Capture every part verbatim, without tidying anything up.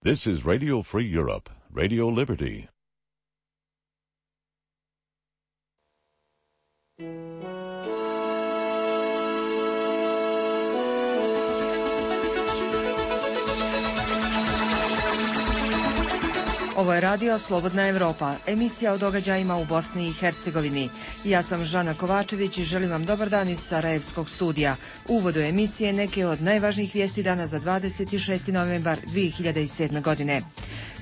This is Radio Free Europe, Radio Liberty. Ovo je radio Slobodna Evropa, emisija o događajima u Bosni i Hercegovini. Ja sam Žana Kovačević i želim vam dobar dan iz Sarajevskog studija. U uvodu emisije neke od najvažnijih vijesti dana za dvadeset šesti novembar dvije hiljade sedme. godine.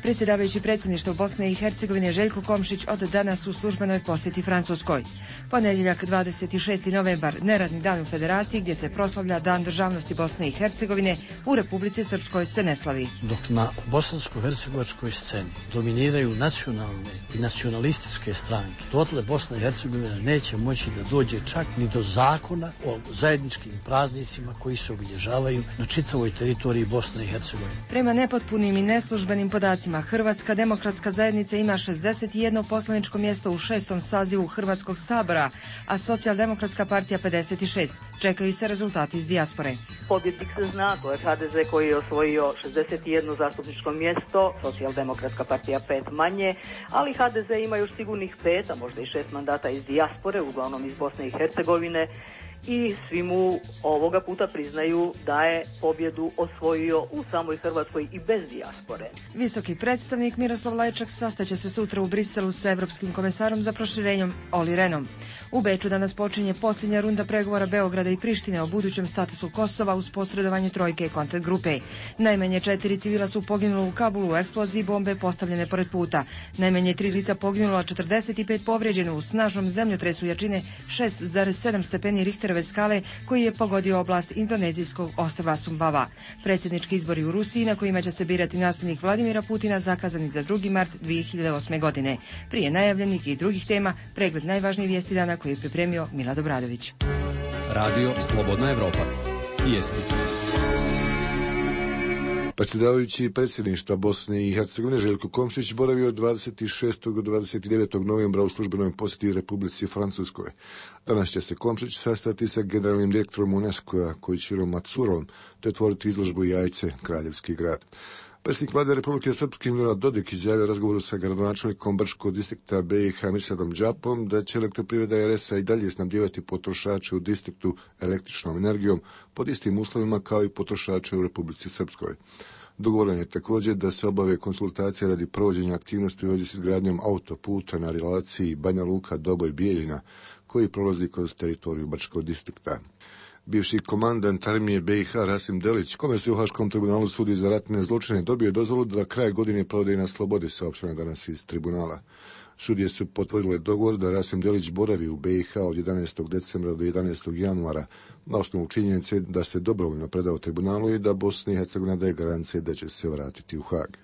Predsjedavajući predsjedništva Bosne i Hercegovine Željko Komšić od danas u službenoj posjeti Francuskoj. Ponedjeljak dvadeset šesti novembar, neradni dan u Federaciji gdje se proslavlja Dan državnosti Bosne i Hercegovine, u Republici Srpskoj se ne slavi. Dok na bosansko-hercegovačkoj sceni dominiraju nacionalne i nacionalističke stranke, dotle Bosna i Hercegovina neće moći da dođe čak ni do zakona o zajedničkim praznicima koji se obilježavaju na čitavoj teritoriji Bosne i Hercegovine. Prema nepotpunim i neslužbenim podacima, Hrvatska demokratska zajednica ima šezdeset jedno poslaničko mjesto u šestom sazivu Hrvatskog sabora, a Socijaldemokratska partija pedeset šest. Čekaju se rezultati iz dijaspore. Pobjednik se zna, to je H D Z koji je osvojio šezdeset jedno zastupničko mjesto, Socijaldemokratska partija pet manje, ali H D Z ima još sigurnih pet, a možda i šest mandata iz dijaspore, uglavnom iz Bosne i Hercegovine, i svi mu ovoga puta priznaju da je pobjedu osvojio u samoj Hrvatskoj i bez dijaspore. Visoki predstavnik Miroslav Lajčak sastaće se sutra u Briselu sa Evropskim komesarom za proširenjem Olli Rehnom. U Beču danas počinje posljednja runda pregovora Beograda i Prištine o budućem statusu Kosova uz posredovanje trojke kontakt grupe. Najmanje četiri civila su poginula u Kabulu u eksploziji bombe postavljene pored puta. Najmanje tri lica poginula, a četrdeset pet povrijeđeno u snažnom zemljotresu jačine šest zarez sedam stepeni Richterove skale koji je pogodio oblast indonezijskog ostrva Sumbava. Predsjednički izbori u Rusiji na kojima će se birati nasljednik Vladimira Putina zakazani za drugi mart dvije hiljade osme. godine. Prije najavljenih i drugih tema, pregled najvažnijih vijesti dana koji je pripremio Milad Obradović. Radio Slobodna Evropa. Vijesti. Predsjedavajući predsjedništva Bosne i Hercegovine Željko Komšić boravio od dvadeset šestog do dvadeset devetog novembra u službenoj posjeti Republici Francuskoj. Danas će se Komšić sastati sa generalnim direktorom UNESCO-a Kojičirom Macurom te otvoriti izložbu Jajce, Kraljevski grad. Predsjednik vlade Republike Srpske Milorad Dodik izjavio razgovoru sa gradonačelnikom Brčkog distrikta B i H Mirsadom Đapom da će elektroprivreda R S a i dalje snabdijevati potrošače u distriktu električnom energijom pod istim uslovima kao i potrošače u Republici Srpskoj. Dogovoreno je također da se obave konsultacije radi provođenja aktivnosti u vezi s izgradnjom autoputa na relaciji Banja Luka-Doboj-Bijeljina koji prolazi kroz teritoriju Brčkog distrikta. Bivši komandant armije B i H Rasim Delić, kome se u Haškom tribunalu sudi za ratne zločine, dobio je dozvolu da kraj godine provede na slobodi, saopšteno danas iz tribunala. Sudije su potvrdile dogovor da Rasim Delić boravi u B i H od jedanaestog decembra do jedanaestog januara na osnovu činjenice da se dobrovoljno predao tribunalu i da Bosna i Hercegovina daje garancije da će se vratiti u Hag.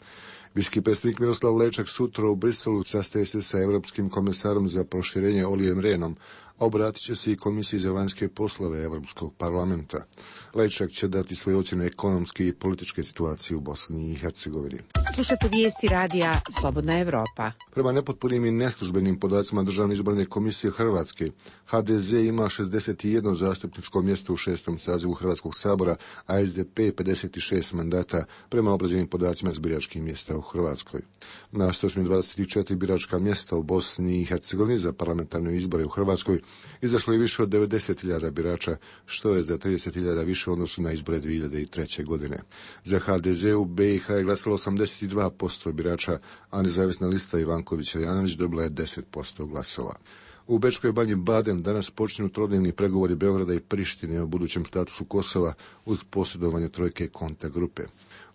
Visoki predstavnik Miroslav Lajčak sutra u Briselu sastaje se sa Evropskim komesarom za proširenje Ollijem Rehnom, a obratit će se i Komisiji za vanjske poslove Evropskog parlamenta. Lajčak će dati svoje ocjene ekonomske i političke situacije u Bosni i Hercegovini. Slušate vijesti radija Slobodna Evropa. Prema nepotpunim i neslužbenim podacima Državne izborne komisije Hrvatske, H D Z ima šezdeset jedno zastupničko mjesto u šestom sazivu Hrvatskog sabora, a S D P pedeset šest mandata prema obrađenim podacima s biračkih mjesta u Hrvatskoj. Na sto dvadeset četiri biračka mjesta u Bosni i Hercegovini za parlamentarne izbore u Hrvatskoj izašlo je više od devedeset hiljada birača, što je za trideset hiljada više u odnosu na izbore dvije hiljade treće. godine. Za H D Z u B i H je glasalo osamdeset dva posto birača, a nezavisna lista Ivanković-Janović dobila je deset posto glasova. U Bečkoj banji Baden danas počinju trodnevni pregovori Beograda i Prištine o budućem statusu Kosova uz posredovanje trojke kontakt grupe.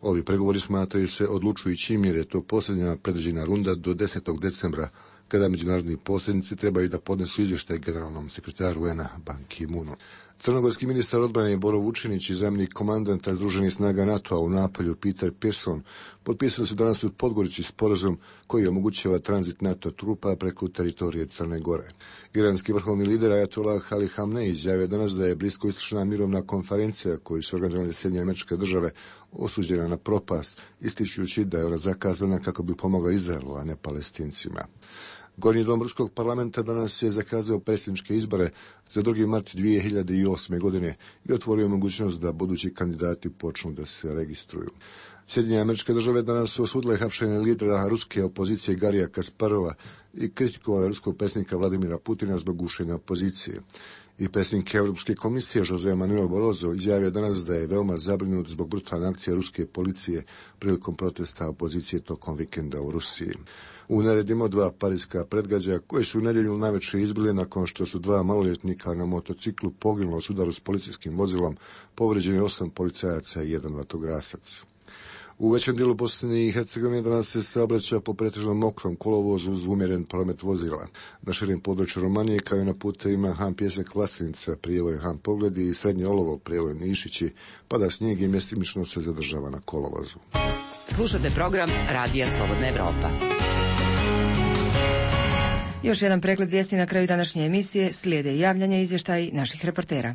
Ovi pregovori smatraju se odlučujućim jer je to posljednja predviđena runda do desetog decembra, kada međunarodni posrednici trebaju da podnesu izvještaj generalnom sekretaru U N a Ban Ki-moonu. Crnogorski ministar odbrane Boro Vučinić i zamjenik komandanta Združenih snaga NATO-a u Napolju Peter Pearson potpisali su danas u Podgorici sporazum koji omogućava tranzit NATO trupa preko teritorije Crne Gore. Iranski vrhovni lider Ajatollah Ali Hamnej izjavio danas da je bliskoistočna mirovna konferencija koju su organizovale Sjedinjene Američke Države osuđena na propast, ističući da je ona zakazana kako bi pomogla Izraelu, a ne Palestincima. Gornji dom Ruskog parlamenta danas je zakazao predsjedničke izbore za drugi mart dvije hiljade osme. godine i otvorio mogućnost da budući kandidati počnu da se registruju. Sjedinjene Američke Države danas su osudile hapšenje lidera ruske opozicije Garija Kasparova i kritikovale ruskog predsjednika Vladimira Putina zbog gušenja opozicije. I predsjednik Europske komisije José Manuel Barroso izjavio danas da je veoma zabrinut zbog brutalne akcije ruske policije prilikom protesta opozicije tokom vikenda u Rusiji. U neredima dva parijska predgađaja koji su u nedjelju najveće izbile nakon što su dva maloljetnika na motociklu poginula u sudaru s policijskim vozilom, povrijeđeni osam policajaca i jedan vatrogasac. U većem dijelu Bosne i Hercegovine danas se saobraća po pretežno mokrom kolovozu uz umjeren promet vozila. Na širim području Romanije kao i na putevima Han Pjesak Vlasenica, prijevoj Han Pogledi i Srednje Olovo, prijevoj Nišići, pada snijeg i mjestimično se zadržava na kolovozu. Slušate program Radija Slobodna Evropa. Još jedan pregled vijesti na kraju današnje emisije, slijede javljanja i izvještaji naših reportera.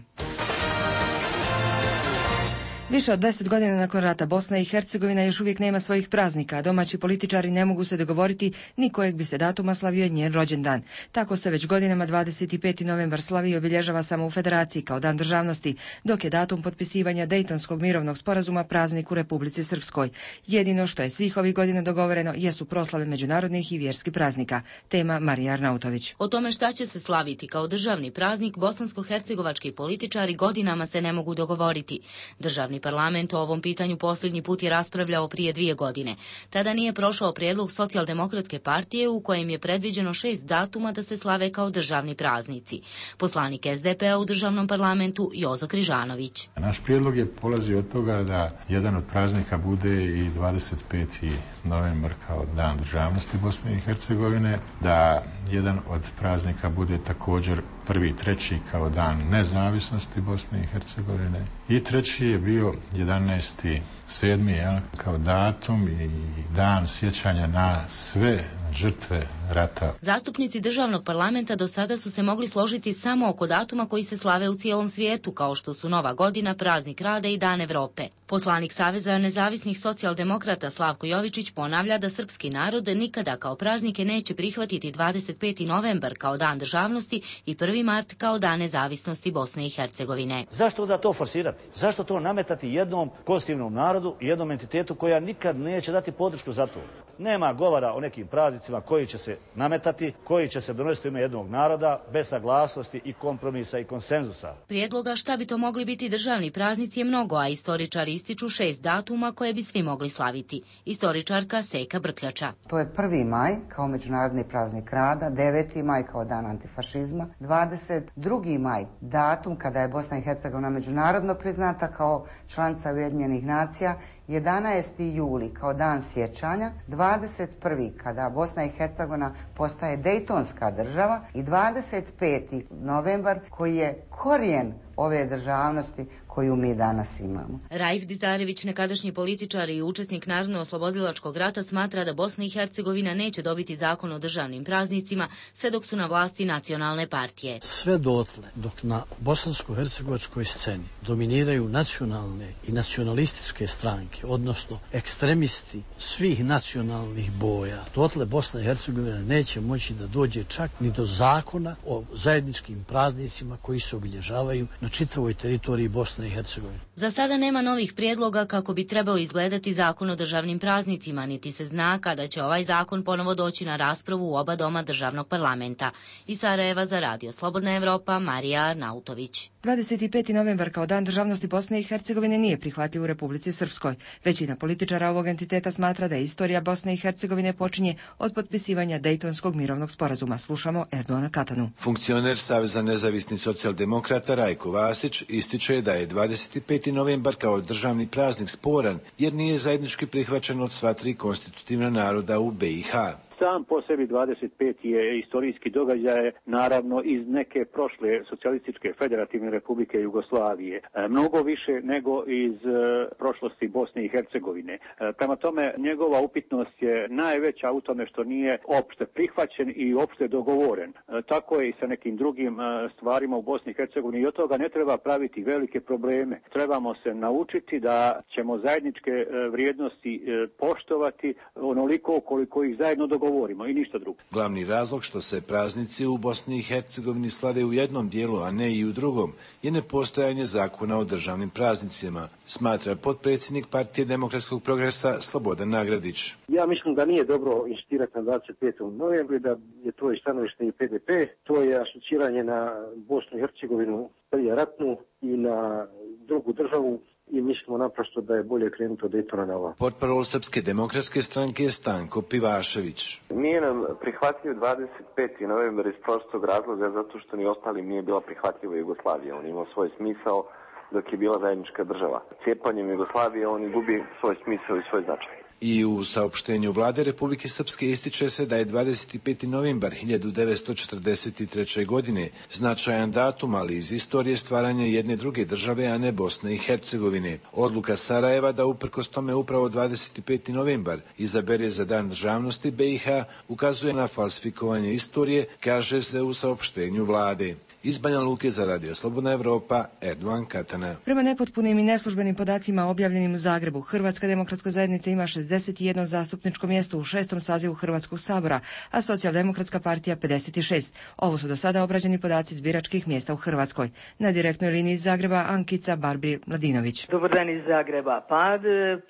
Više od deset godina nakon rata Bosna i Hercegovina još uvijek nema svojih praznika, a domaći političari ne mogu se dogovoriti ni kojeg bi se datuma slavio njen rođendan. Tako se već godinama dvadeset peti novembar slavi i obilježava samo u Federaciji kao dan državnosti, dok je datum potpisivanja Dejtonskog mirovnog sporazuma praznik u Republici Srpskoj. Jedino što je svih ovih godina dogovoreno jesu proslave međunarodnih i vjerskih praznika. Tema Marija Arnautović. O tome šta će se slaviti kao državni praznik bosansko-hercegovački političari godinama se ne mogu dogovoriti. Državni parlament o ovom pitanju posljednji put je raspravljao prije dvije godine. Tada nije prošao prijedlog Socijaldemokratske partije u kojem je predviđeno šest datuma da se slave kao državni praznici. Poslanik es de pe a u državnom parlamentu Jozo Križanović. Naš prijedlog je polazio od toga da jedan od praznika bude i dvadeset peti novembar kao dan državnosti Bosne i Hercegovine, da jedan od praznika bude također prvi treći kao dan nezavisnosti Bosne i Hercegovine i treći je bio jedanaesti sedmi Ja, kao datum i dan sjećanja na sve žrtve rata. Zastupnici državnog parlamenta do sada su se mogli složiti samo oko datuma koji se slave u cijelom svijetu, kao što su Nova godina, praznik rada i Dan Evrope. Poslanik Saveza nezavisnih socijaldemokrata Slavko Jovičić ponavlja da srpski narod nikada kao praznike neće prihvatiti dvadeset peti novembar kao dan državnosti i prvi mart kao dan nezavisnosti Bosne i Hercegovine. Zašto da to forsirati? Zašto to nametati jednom konstitutivnom narodu i jednom entitetu koja nikad neće dati podršku za to? Nema govora o nekim praznicima koji će se nametati, koji će se donositi u ime jednog naroda bez saglasnosti i kompromisa i konsenzusa. Prijedloga šta bi to mogli biti državni praznici je mnogo, a istoričari ističu šest datuma koje bi svi mogli slaviti. Istoričarka Seka Brkljača. To je prvi maj kao međunarodni praznik rada, deveti maj kao dan antifašizma, dvadeset drugi maj datum kada je Bosna i Hercegovina međunarodno priznata kao članica Ujedinjenih nacija, jedanaesti juli kao dan sjećanja, dvadeset prvi kada Bosna i Hercegovina postaje dejtonska država i dvadeset peti novembar koji je korijen ove državnosti koju mi danas imamo. Raif Dizdarević, nekadašnji političar i učesnik Narodno-oslobodilačkog rata, smatra da Bosna i Hercegovina neće dobiti zakon o državnim praznicima sve dok su na vlasti nacionalne partije. Sve dotle dok na bosansko-hercegovačkoj sceni dominiraju nacionalne i nacionalističke stranke, odnosno ekstremisti svih nacionalnih boja, dotle Bosna i Hercegovina neće moći da dođe čak ni do zakona o zajedničkim praznicima koji se obilježavaju na čitavoj teritoriji Bosne i Hercegovine. Za sada nema novih prijedloga kako bi trebao izgledati zakon o državnim praznicima, niti se zna kada će ovaj zakon ponovo doći na raspravu u oba doma državnog parlamenta. Iz Sarajeva za Radio Slobodna Evropa, Marija Arnautović. dvadeset peti novembar kao dan državnosti Bosne i Hercegovine nije prihvatljiv u Republici Srpskoj. Većina političara ovog entiteta smatra da istorija Bosne i Hercegovine počinje od potpisivanja Dejtonskog mirovnog sporazuma. Slušamo Erdoana Katanu. Funkcioner Saveza nezavisnih socijaldemokrata Rajko Vasić ističe da je dvadeset peti novembar kao državni praznik sporan jer nije zajednički prihvaćen od sva tri konstitutivna naroda u be i ha. Sam po sebi dvadeset peti je istorijski događaj, naravno iz neke prošle socijalističke federativne republike Jugoslavije. E, mnogo više nego iz e, prošlosti Bosne i Hercegovine. E, prema tome, njegova upitnost je najveća u tome što nije opšte prihvaćen i opšte dogovoren. E, tako je i sa nekim drugim e, stvarima u Bosni i Hercegovini i od toga ne treba praviti velike probleme. Trebamo se naučiti da ćemo zajedničke e, vrijednosti e, poštovati onoliko koliko ih zajedno dogovorimo. govorimo i ništa drugo. Glavni razlog što se praznici u Bosni i Hercegovini slave u jednom dijelu, a ne i u drugom, je nepostojanje zakona o državnim praznicima, smatra potpredsjednik Partije demokratskog progresa Slobodan Nagradić. Ja mislim da nije dobro insistirati na dvadeset petog novembra, da je to i stanovište i P D P, to je asociranje na Bosnu i Hercegovinu prije ratnu i na drugu državu. I mislimo naprosto da je bolje krenuti od Daytona na ovo. Portparol Srpske demokratske stranke je Stanko Pivašević. Nije nam prihvatljiv dvadeset peti novembar iz prostog razloga zato što ni ostalim nije bila prihvatljiva Jugoslavija. On imao svoj smisao dok je bila zajednička država. Cijepanjem Jugoslavije on gubi svoj smisao i svoj značaj. I u saopštenju vlade Republike Srpske ističe se da je dvadeset peti novembar hiljadu devetsto četrdeset treće. godine značajan datum, ali iz istorije stvaranja jedne druge države, a ne Bosne i Hercegovine. Odluka Sarajeva da uprkos tome upravo dvadeset peti novembar izabere za dan državnosti B i H ukazuje na falsifikovanje istorije, kaže se u saopštenju vlade. Iz Banja Luke za Radio Slobodna Evropa, Erdovan Katana. Prema nepotpunim i neslužbenim podacima objavljenim u Zagrebu, Hrvatska demokratska zajednica ima šezdeset jedno zastupničko mjesto u šestom sazivu Hrvatskog sabora, a Socijaldemokratska partija pedeset šest. Ovo su do sada obrađeni podaci iz biračkih mjesta u Hrvatskoj. Na direktnoj liniji iz Zagreba Ankica Barbri-Mladinović. Dobar dan iz Zagreba. Pa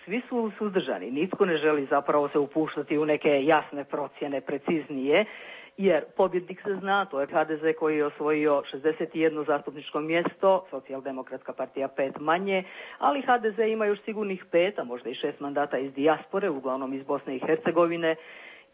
svi su suzdržani. Nitko ne želi zapravo se upuštati u neke jasne procjene, preciznije. Jer pobjednik se zna, to je H D Z koji je osvojio šezdeset jedno zastupničko mjesto, Socijaldemokratska partija pet manje, ali H D Z ima još sigurnih pet, a možda i šest mandata iz dijaspore, uglavnom iz Bosne i Hercegovine,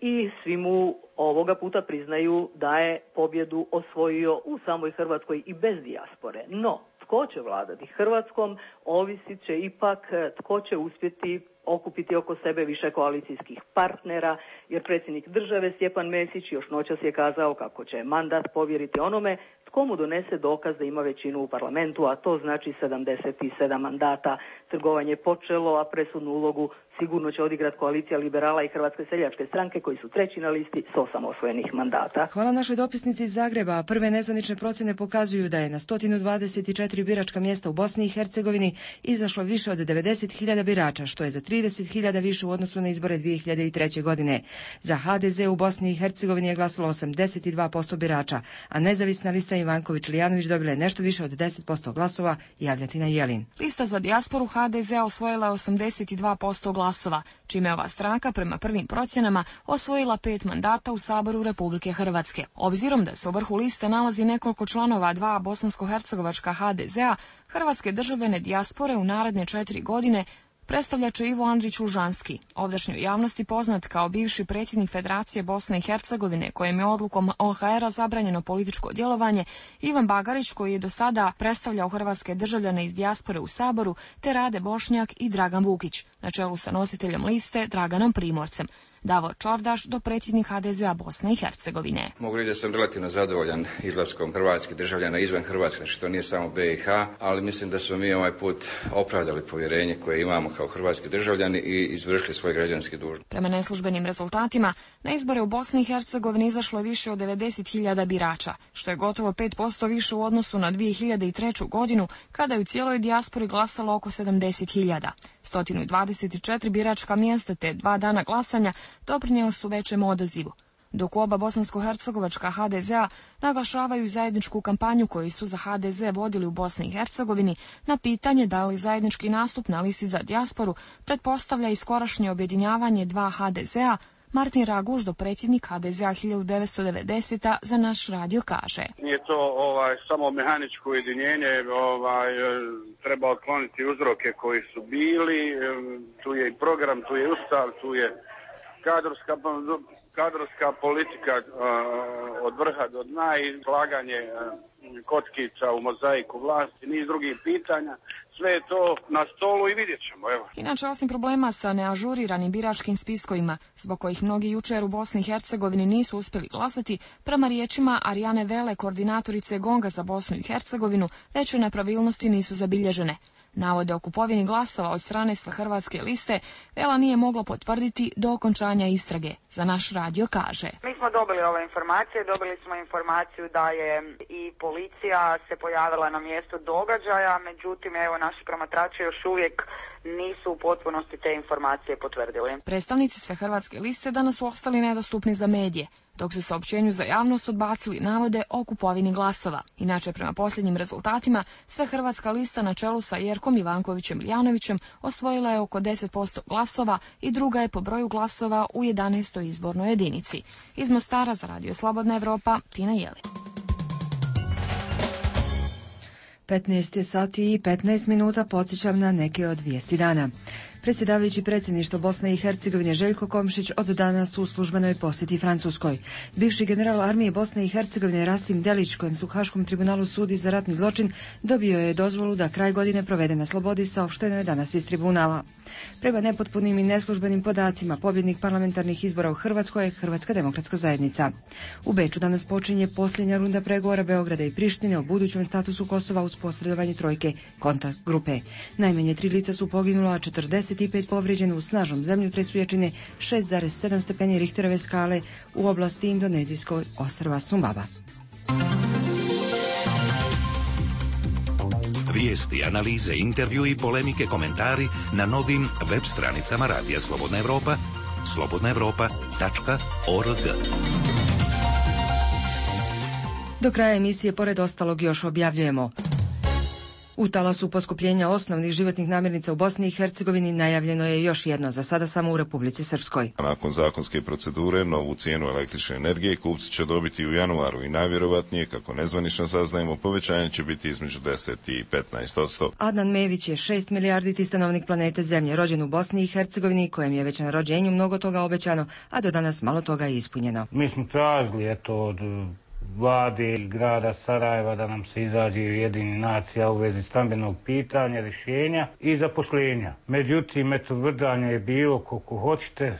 i svi mu ovoga puta priznaju da je pobjedu osvojio u samoj Hrvatskoj i bez dijaspore. No, tko će vladati Hrvatskom, ovisit će ipak tko će uspjeti okupiti oko sebe više koalicijskih partnera, jer predsjednik države Stjepan Mesić još noćas je kazao kako će mandat povjeriti onome tko mu donese dokaz da ima većinu u parlamentu, a to znači sedamdeset sedam mandata. Trgovanje je počelo, a presudnu ulogu sigurno će odigrati koalicija liberala i Hrvatske seljačke stranke koji su treći na listi s osam osvojenih mandata. Hvala našoj dopisnici iz Zagreba. Prve nezvanične procjene pokazuju da je na sto dvadeset četiri biračka mjesta u Bosni i Hercegovini izašlo više od devedeset hiljada birača, što je za trideset hiljada više u odnosu na izbore dvije hiljade treće. godine. Za H D Z u Bosni i Hercegovini je glasalo osamdeset dva posto birača, a nezavisna lista Ivanković-Lijanović dobila je nešto više od deset posto glasova, Javljatina Jelin. Lista za dijasporu H D Z osvojila je osamdeset dva posto glasova, čime je ova stranka prema prvim procjenama osvojila pet mandata u Saboru Republike Hrvatske. Obzirom da se u vrhu liste nalazi nekoliko članova dva bosansko-hercegovačka H D Z-a, hrvatske državljane dijaspore u naredne četiri godine predstavljat će Ivo Andrić Lužanski, ovdašnjoj javnosti poznat kao bivši predsjednik Federacije Bosne i Hercegovine, kojem je odlukom O H R-a zabranjeno političko djelovanje, Ivan Bagarić, koji je do sada predstavljao hrvatske državljane iz dijaspore u Saboru, te Rade Bošnjak i Dragan Vukić, na čelu sa nositeljem liste Draganom Primorcem. Davor Čordaš, do predsjednik H D Z-a Bosne i Hercegovine. Mogu reći da sam relativno zadovoljan izlaskom hrvatskih državljana izvan Hrvatske, znači to nije samo B i H, ali mislim da smo mi ovaj put opravdali povjerenje koje imamo kao hrvatski državljani i izvršili svoje građanske dužnosti. Prema neslužbenim rezultatima, na izbore u Bosni i Hercegovini izašlo je više od devedeset hiljada birača, što je gotovo pet posto više u odnosu na dvije hiljade treću. godinu, kada je u cijeloj dijaspori glasalo oko sedamdeset hiljada. sto dvadeset četiri biračka mjesta te dva dana glasanja doprinijeli su većem odazivu, dok oba bosansko-hercegovačka H D Z-a naglašavaju zajedničku kampanju koju su za H D Z vodili u Bosni i Hercegovini na pitanje da li zajednički nastup na listi za dijasporu pretpostavlja i skorašnje objedinjavanje dva H D Z-a. Martin Raguž, do predsjednik H D Z-a hiljadu devetsto devedesete. za naš radio kaže. Nije to ovaj, samo mehaničko ujedinjenje, ovaj, treba otkloniti uzroke koji su bili, tu je i program, tu je ustav, tu je kadrovska, kadrovska politika uh, od vrha do dna i slaganje uh, kockica u mozaiku vlasti, niz drugih pitanja. Sve je to na stolu i vidjet ćemo. Evo. Inače, osim problema sa neažuriranim biračkim spiskovima, zbog kojih mnogi jučer u Bosni i Hercegovini nisu uspjeli glasati, prema riječima Arijane Vele, koordinatorice Gonga za Bosnu i Hercegovinu, veće nepravilnosti nisu zabilježene. Navode o kupovini glasova od strane Svehrvatske liste Vela nije mogla potvrditi do okončanja istrage. Za naš radio kaže: Mi smo dobili ove informacije, dobili smo informaciju da je i policija se pojavila na mjestu događaja, međutim evo naši promatrači još uvijek nisu u potpunosti te informacije potvrdili. Predstavnici Svehrvatske liste danas su ostali nedostupni za medije, dok su saopćenju za javnost odbacili navode o kupovini glasova. Inače, prema posljednjim rezultatima, Svehrvatska lista na čelu sa Jerkom Ivankovićem Iljanovićem osvojila je oko deset posto glasova i druga je po broju glasova u jedanaestoj izbornoj jedinici. Iz Mostara za Radio Slobodna Evropa, Tina Jeli. petnaest je sati i petnaest minuta, podsjećam na neke od vijesti dana. Predsjedavajući predsjedništvo Bosne i Hercegovine Željko Komšić od danas u službenoj posjeti Francuskoj. Bivši general armije Bosne i Hercegovine Rasim Delić, kojem su u Haškom tribunalu sudi za ratni zločin, dobio je dozvolu da kraj godine provede na slobodi, saopšteno je danas iz tribunala. Prema nepotpunim i neslužbenim podacima, pobjednik parlamentarnih izbora u Hrvatskoj je Hrvatska demokratska zajednica. U Beču danas počinje posljednja runda pregovora Beograda i Prištine o budućem statusu Kosova uz posredovanje trojke kontakt grupe. Najmanje tri lica su poginula, a četrdeset pet povrijeđeno u snažnom zemljotresu jačine šest zarez sedam stepeni Richterove skale u oblasti indonezijskog ostrva Sumbawa. Vijesti, analize, intervju i polemike, komentari na novim web stranicama Radija Slobodna Evropa, slobodna evropa tačka org. Do kraja emisije, pored ostalog, još objavljujemo: u talasu poskupljenja osnovnih životnih namirnica u Bosni i Hercegovini najavljeno je još jedno, za sada samo u Republici Srpskoj. Nakon zakonske procedure, novu cijenu električne energije kupci će dobiti u januaru i najvjerovatnije, kako nezvanično saznajemo, povećanje će biti između deset i petnaest posto. Adnan Mević je šest milijarditi stanovnik planete Zemlje, rođen u Bosni i Hercegovini, kojem je već na rođenju mnogo toga obećano, a do danas malo toga je ispunjeno. Mi smo tražili, eto, od vlade i grada Sarajeva da nam se izađe Ujedinjenih nacija u vezi stambenog pitanja, rješenja i zaposlenja. Međutim, eto, vrdanje je bilo koliko hoćete.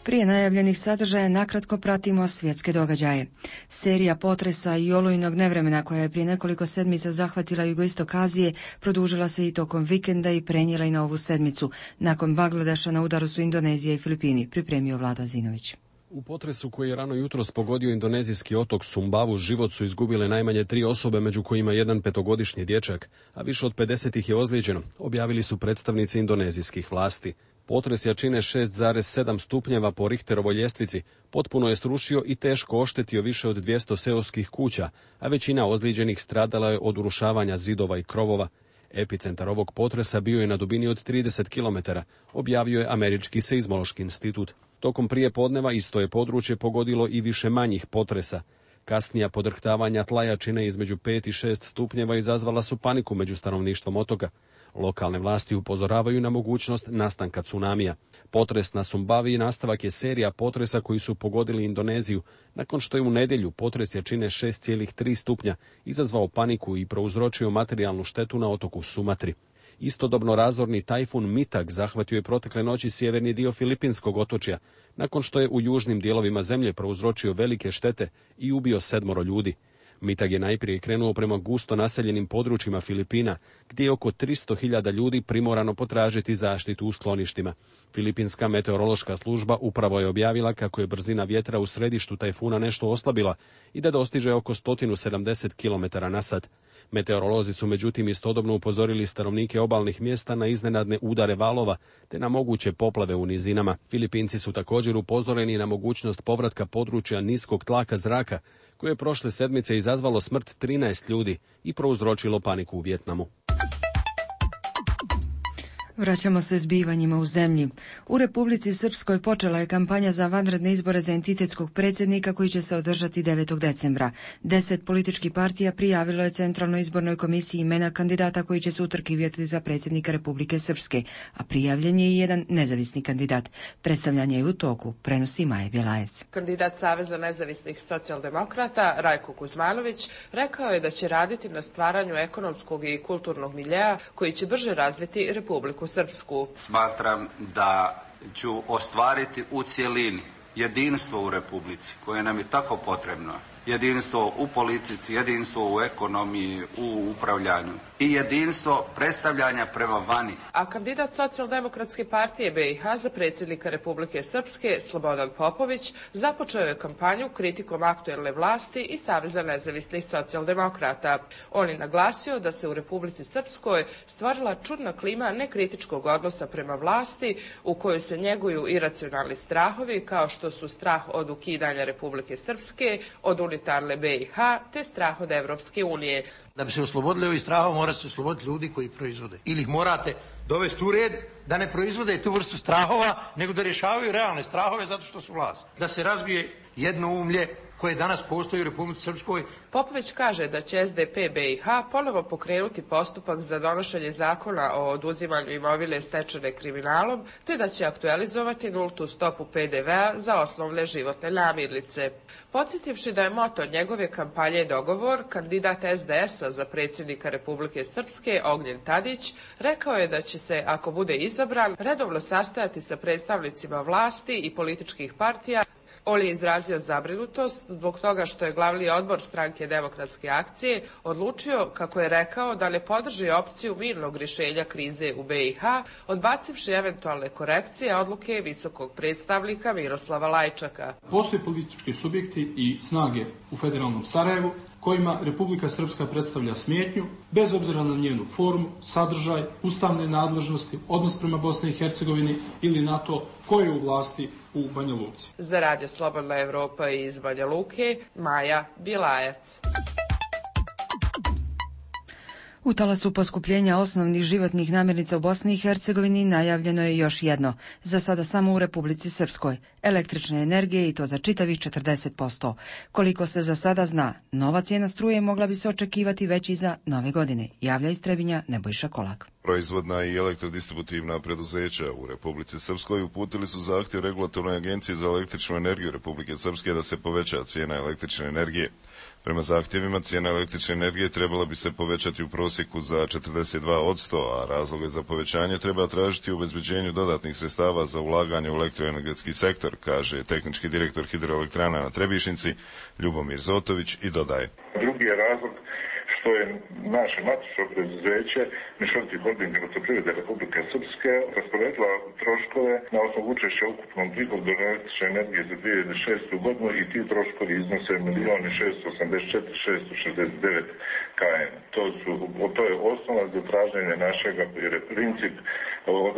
Prije najavljenih sadržaja nakratko pratimo svjetske događaje. Serija potresa i olujnog nevremena koja je prije nekoliko sedmica zahvatila jugoistok Azije produžila se i tokom vikenda i prenijela i na ovu sedmicu. Nakon Bangladeša na udaru su Indonezija i Filipini, pripremio Vlado Azinović. U potresu koji je rano jutros pogodio indonezijski otok Sumbavu život su izgubile najmanje tri osobe, među kojima jedan petogodišnji dječak, a više od pedeset ih je ozlijeđeno, objavili su predstavnici indonezijskih vlasti. Potres jačine šest zarez sedam stupnjeva po Richterovoj ljestvici potpuno je srušio i teško oštetio više od dvjesto seoskih kuća, a većina ozlijeđenih stradala je od urušavanja zidova i krovova. Epicentar ovog potresa bio je na dubini od trideset kilometara, objavio je Američki seizmološki institut. Tokom prije podneva isto je područje pogodilo i više manjih potresa. Kasnija podrhtavanja tla jačine između pet i šest stupnjeva izazvala su paniku među stanovništvom otoka. Lokalne vlasti upozoravaju na mogućnost nastanka tsunamija. Potres na Sumbavi nastavak je serija potresa koji su pogodili Indoneziju, nakon što je u nedjelju potres jačine šest zarez tri stupnja izazvao paniku i prouzročio materijalnu štetu na otoku Sumatri. Istodobno razorni tajfun Mitag zahvatio je protekle noći sjeverni dio Filipinskog otočja, nakon što je u južnim dijelovima zemlje prouzročio velike štete i ubio sedmoro ljudi. Mitag je najprije krenuo prema gusto naseljenim područjima Filipina, gdje je oko tristo hiljada ljudi primorano potražiti zaštitu u skloništima. Filipinska meteorološka služba upravo je objavila kako je brzina vjetra u središtu tajfuna nešto oslabila i da dostiže oko sto sedamdeset kilometara na sat. Meteorolozi su međutim istodobno upozorili stanovnike obalnih mjesta na iznenadne udare valova te na moguće poplave u nizinama. Filipinci su također upozoreni na mogućnost povratka područja niskog tlaka zraka, koje je prošle sedmice izazvalo smrt trinaest ljudi i prouzročilo paniku u Vijetnamu. Vraćamo se zbivanjima u zemlji. U Republici Srpskoj počela je kampanja za vanredne izbore za entitetskog predsjednika koji će se održati devetog decembra. Deset političkih partija prijavilo je Centralnoj izbornoj komisiji imena kandidata koji će se utrkivati za predsjednika Republike Srpske, a prijavljen je i jedan nezavisni kandidat. Predstavljanje je u toku, prenosi Maja Bjelajec. Kandidat Saveza nezavisnih socijaldemokrata Rajko Kuzmanović rekao je da će raditi na stvaranju ekonomskog i kulturnog miljeja koji će brže razviti Republiku Srpsku. Smatram da ću ostvariti u cjelini jedinstvo u Republici koje nam je tako potrebno jedinstvo u politici, jedinstvo u ekonomiji, u upravljanju i jedinstvo predstavljanja prema vani. A kandidat Socijaldemokratske partije B i H za predsjednika Republike Srpske, Slobodan Popović, započeo je kampanju kritikom aktuelne vlasti i Saveza nezavisnih socijaldemokrata. On je naglasio da se u Republici Srpskoj stvorila čudna klima nekritičkog odnosa prema vlasti u kojoj se njeguju iracionalni strahovi kao što su strah od ukidanja Republike Srpske, od unitarne B i H te strah od Evropske unije. Da bi se oslobodili ovih strahova mora se osloboditi ljudi koji proizvode. Ili ih morate dovesti u red da ne proizvode tu vrstu strahova, nego da rješavaju realne strahove zato što su vlast. Da se razbije jednoumlje koje danas postoji u Republici Srpskoj. Popović kaže da će S D P B i H ponovo pokrenuti postupak za donošenje zakona o oduzimanju imovine stečene kriminalom, te da će aktualizovati nultu stopu P D V-a za osnovne životne namirnice. Podsjetivši da je moto njegove kampanje dogovor, kandidat S D S-a za predsjednika Republike Srpske Ognjen Tadić rekao je da će se, ako bude izabran, redovno sastajati sa predstavnicima vlasti i političkih partija. On je izrazio zabrinutost zbog toga što je glavni odbor stranke Demokratske akcije odlučio, kako je rekao, da ne podrži opciju mirnog rješenja krize u B i H, odbacivši eventualne korekcije odluke visokog predstavnika Miroslava Lajčaka. Postoje politički subjekti i snage u federalnom Sarajevu kojima Republika Srpska predstavlja smetnju, bez obzira na njenu formu, sadržaj, ustavne nadležnosti, odnos prema Bosni i Hercegovini ili na to ko je u vlasti u Banja Luci. Za Radio Slobodna Evropa iz Banja Luke, Maja Bilajac. U talasu poskupljenja osnovnih životnih namirnica u Bosni i Hercegovini najavljeno je još jedno, za sada samo u Republici Srpskoj, električne energije i to za čitavih četrdeset posto. Koliko se za sada zna, nova cijena struje mogla bi se očekivati već i za nove godine, javlja iz Trebinja Nebojša Kolak. Proizvodna i elektrodistributivna preduzeća u Republici Srpskoj uputili su zahtjev Regulatornoj agenciji za električnu energiju Republike Srpske da se poveća cijena električne energije. Prema zahtjevima, cijena električne energije trebala bi se povećati u prosjeku za četrdeset dva posto, a razloge za povećanje treba tražiti u obezbeđenju dodatnih sredstava za ulaganje u elektroenergetski sektor, kaže tehnički direktor hidroelektrana na Trebišnici Ljubomir Zotović i dodaje. Drugi je razlog što je naše matično preduzeće Mešoviti holding Elektroprivrede Republike Srpske rasporedila troškove na osnovu učešća u ukupnom prihodu električne energije za dvije hiljade šestu godinu i ti troškovi iznose milion šesto osamdeset četiri hiljade šesto šezdeset devet kn. To, su, to je osnova za traženje našega, jer je princip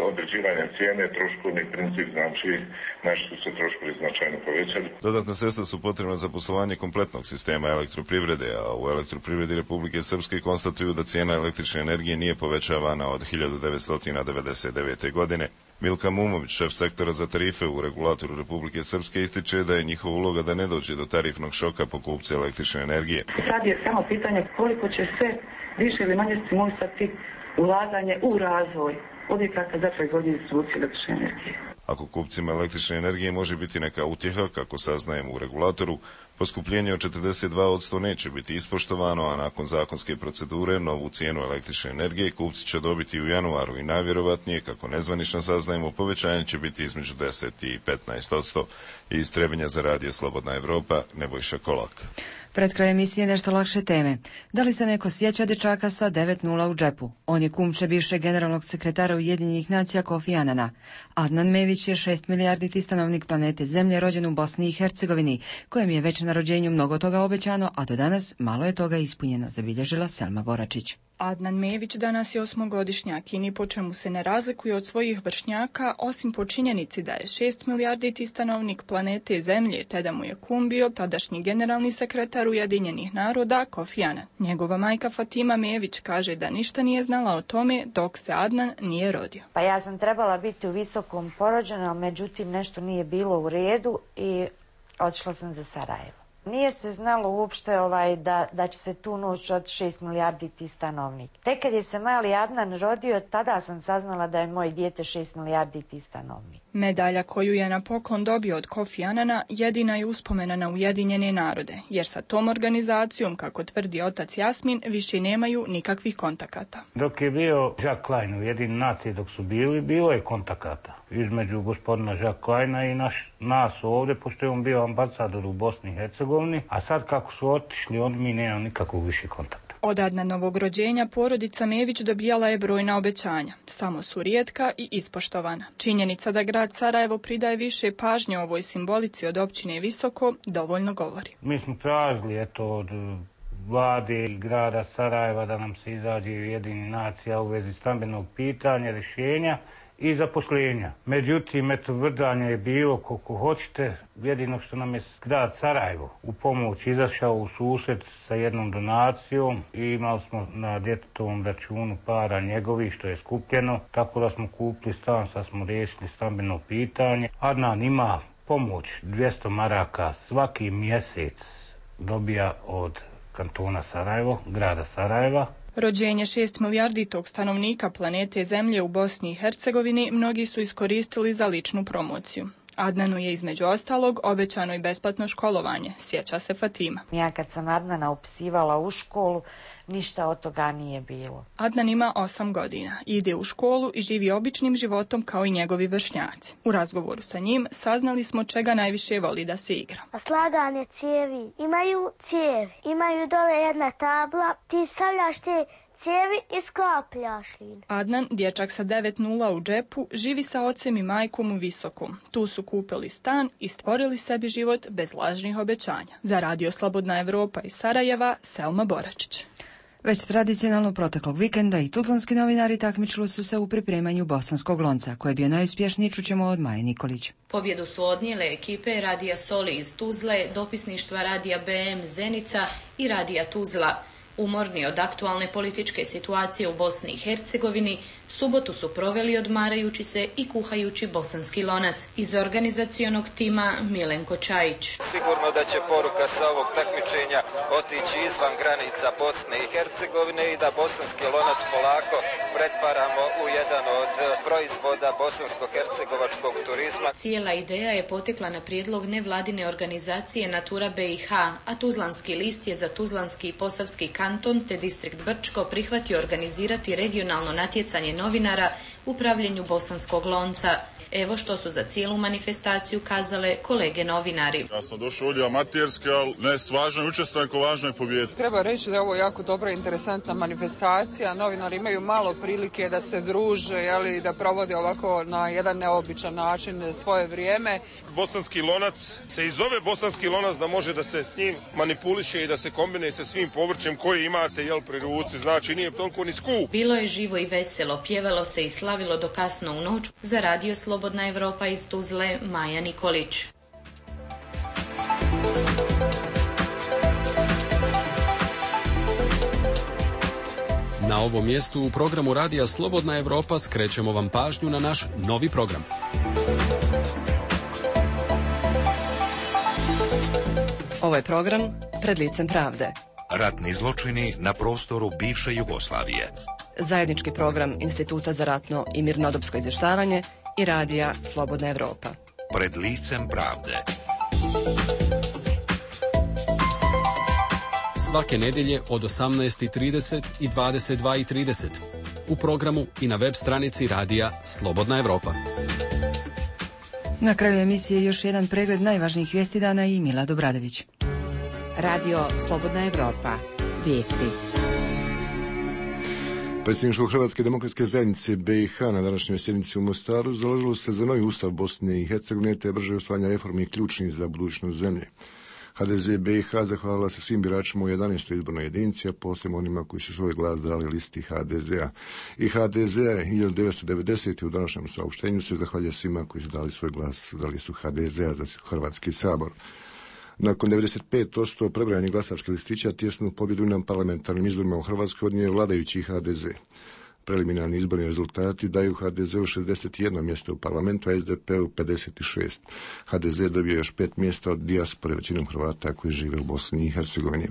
određivanja cijene, troškovni princip, znači naši su se troškovi značajno povećali. Dodatna sredstva su potrebna za poslovanje kompletnog sistema elektroprivrede, a u elektroprivredi Republike Srpske konstatuju da cijena električne energije nije povećavana od hiljadu devetsto devedeset devete. godine. Milka Mumović, šef sektora za tarife u Regulatoru Republike Srpske, ističe da je njihova uloga da ne dođe do tarifnog šoka po kupce električne energije. Sad je samo pitanje koliko će se više ili manje stimulisati ulaganje u razvoj objekata za proizvodnju i distribuciju električne energije. Ako kupcima električne energije može biti neka utjeha, kako saznajemo u Regulatoru, poskupljenje od četrdeset dva posto neće biti ispoštovano, a nakon zakonske procedure novu cijenu električne energije kupci će dobiti u januaru i najvjerovatnije, kako nezvanično saznajemo, povećanje će biti između deset i petnaest posto. Iz Trebinja za Radio Slobodna Evropa, Nebojša Kolak. Pred kraj emisije nešto lakše teme. Da li se neko sjeća dječaka sa devet nula u džepu? On je kumče bivšeg generalnog sekretara Ujedinjenih nacija Kofi Anana. Adnan Mević je šest milijarditi stanovnik planete Zemlje, rođen u Bosni i Hercegovini, kojem je već na rođenju mnogo toga obećano, a do danas malo je toga ispunjeno, zabilježila Selma Boračić. Adnan Mević danas je osmogodišnjak i ni po čemu se ne razlikuje od svojih vršnjaka, osim po činjenici da je šest milijarditi stanovnik planete Zemlje, te da mu je kum bio tadašnji generalni sekretar Ujedinjenih naroda Kofi Anan. Njegova majka Fatima Mević kaže da ništa nije znala o tome dok se Adnan nije rodio. Pa ja sam trebala biti u visokom porođaju, međutim nešto nije bilo u redu i otišla sam za Sarajevo. Nije se znalo uopšte ovaj, da, da će se tu noć od šest milijardi ti stanovnik. Tek kad je se mali Adnan rodio, tada sam saznala da je moje dijete šest milijardi ti stanovnik. Medalja koju je na poklon dobio od Kofi Anana jedina je uspomena na Ujedinjene narode, jer sa tom organizacijom, kako tvrdi otac Jasmin, više nemaju nikakvih kontakata. Dok je bio Jacques Klein u Ujedinjene nacije, dok su bili, bilo je kontakata između gospodina Jacques Kleina i naš, nas ovdje, pošto je on bio ambasador u Bosni i Hercegovini. Hercegovini, a sad kako su otišli, oni mi nemaju nikakvog više kontakta. Od Adnanovog rođenja porodica Mević dobijala je brojna obećanja, samo su rijetka i ispoštovana. Činjenica da grad Sarajevo pridaje više pažnje ovoj simbolici od općine Visoko dovoljno govori. Mi smo tražili eto od vlade i grada Sarajeva da nam se izađe Ujedinjenih nacija u vezi stambenog pitanja, rješenja i zaposlenja. Međutim, eto, vrdanje je bilo koliko hoćete, jedino što nam je grad Sarajevo u pomoć izašao u susret sa jednom donacijom i imali smo na djetetovom računu para njegovih što je skupljeno, tako da smo kupili stan, sad smo riješili stambeno pitanje. Adnan ima pomoć dvjesto maraka svaki mjesec dobija od kantona Sarajevo, grada Sarajeva. Rođenje šest milijarditog stanovnika planete Zemlje u Bosni i Hercegovini mnogi su iskoristili za ličnu promociju. Adnanu je između ostalog obećano i besplatno školovanje, sjeća se Fatima. Ja kad sam Adnana upisivala u školu, ništa od toga nije bilo. Adnan ima osam godina, ide u školu i živi običnim životom kao i njegovi vršnjaci. U razgovoru sa njim saznali smo čega najviše voli da se igra. Slaganje cijevi. Imaju cijevi, imaju dole jedna tabla, ti stavljaš te cijevi i sklapljaš ih. Adnan, dječak sa devet nula u džepu, živi sa ocem i majkom u Visokom. Tu su kupili stan i stvorili sebi život bez lažnih obećanja. Za Radio Slobodna Evropa iz Sarajeva, Selma Boračić. Već tradicionalno proteklog vikenda i tuzlanski novinari takmičili su se u pripremanju bosanskog lonca, koji je bio najuspješniji, čućemo od Maje Nikolić. Pobjedu su odnijele ekipe Radija Soli iz Tuzle, dopisništva Radija B M Zenica i Radija Tuzla. Umorni od aktualne političke situacije u Bosni i Hercegovini, subotu su proveli odmarajući se i kuhajući bosanski lonac. Iz organizacionog tima Milenko Čajić. Sigurno da će poruka sa ovog takmičenja otići izvan granica Bosne i Hercegovine i da bosanski lonac polako pretvaramo u jedan od proizvoda bosansko-hercegovačkog turizma. Cijela ideja je potekla na prijedlog nevladine organizacije Natura B i H, a Tuzlanski list je za Tuzlanski i Posavski kanton te distrikt Brčko prihvatio organizirati regionalno natjecanje novinara u pravljenju bosanskog lonca. Evo što su za cijelu manifestaciju kazale kolege novinari. Ja sam došao ovdje amaterski, ali ne s važnoj učestvujem ko važnoj pobjedi. Treba reći da je ovo jako dobra, interesantna manifestacija. Novinari imaju malo prilike da se druže, jeli, da provode ovako na jedan neobičan način svoje vrijeme. Bosanski lonac se i zove bosanski lonac da može da se s njim manipuliše i da se kombinuje sa svim povrćem koji imate jel, pri ruci. Znači nije toliko ni skup. Bilo je živo i veselo, pjevalo se i slavilo do kasno u noć. Za Radio Slobodna Evropa iz Tuzle, Maja Nikolić. Na ovom mjestu u programu Radija Slobodna Evropa skrećemo vam pažnju na naš novi program. Ovo je program Pred licem pravde. Ratni zločini na prostoru bivše Jugoslavije. Zajednički program Instituta za ratno i mirnodopsko izvještavanje i Radija Slobodna Evropa. Pred licem pravde. Svake nedjelje od osamnaest i trideset i dvadeset dva i trideset. U programu i na web stranici Radija Slobodna Evropa. Na kraju emisije još jedan pregled najvažnijih vijesti dana i Mila Dobradović. Radio Slobodna Evropa. Vijesti. Predsjedništvo Hrvatske demokratske zajednice B i H na današnjoj sjednici u Mostaru založilo se za novi ustav Bosne i Hercegovine te brže usvajanje reformi ključnih za budućnost zemlje. H D Z B i H zahvalila se svim biračima u jedanaestoj izbornoj jedinici, a posebno onima koji su svoj glas dali listi H D Z-a. I H D Z je hiljadu devetsto devedesete. u današnjem saopštenju se zahvalja svima koji su dali svoj glas za listu H D Z-a za Hrvatski sabor. Nakon devedeset pet posto prebrojanih glasačkih listića tjesnu pobjedu na parlamentarnim izborima u Hrvatskoj odnio vladajući H D Z. Preliminarni izborni rezultati daju H D Z-u šezdeset jedno mjesto u parlamentu, a S D P-u pedeset šest. H D Z dobio još pet mjesta od dijaspore, većinom Hrvata koji žive u Bosni i Hercegovini.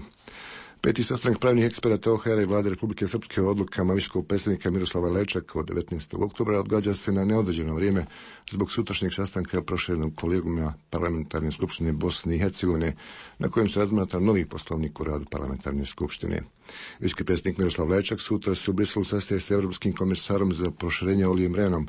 Peti sastanak pravnih eksperata O H R i Vlade Republike Srpske o odlukama visokog predstavnika Miroslava Lečaka od devetnaestog oktobra odgađa se na neodređeno vrijeme zbog sutrašnjeg sastanka proširenog kolegijuma Parlamentarne skupštine Bosne i Hercegovine, na kojem se razmatra novi poslovnik u radu Parlamentarne skupštine. Visoki predsjednik Miroslav Lečak sutra se u Briselu sastaje s Europskim komisarom za proširenje Olijem Rehnom,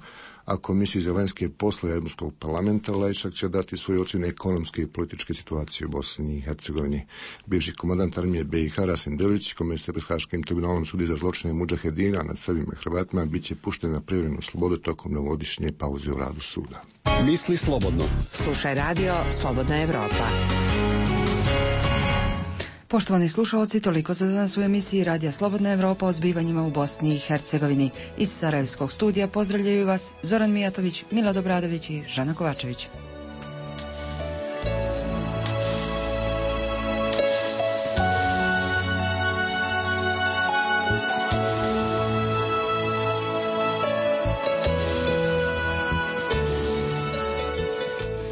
a Komisiji za vanjske poslove Europskog parlamenta Lajčak će dati svoje ocjene ekonomske i političke situacije u Bosni i Hercegovini. Bivši komandant armije B i H Rasim Delić, kome se pred Haškim tribunalom sudi za zločine mudžahedina nad Srbima i Hrvatima, bit će pušten na privremenu slobodu tokom novogodišnje pauze u radu suda. Misli slobodno. Slušaj radio Slobodna Evropa. Poštovani slušalci, toliko za danas u emisiji Radija Slobodna Evropa o zbivanjima u Bosni i Hercegovini. Iz Sarajevskog studija pozdravljaju vas Zoran Mijatović, Milad Obradović i Žana Kovačević.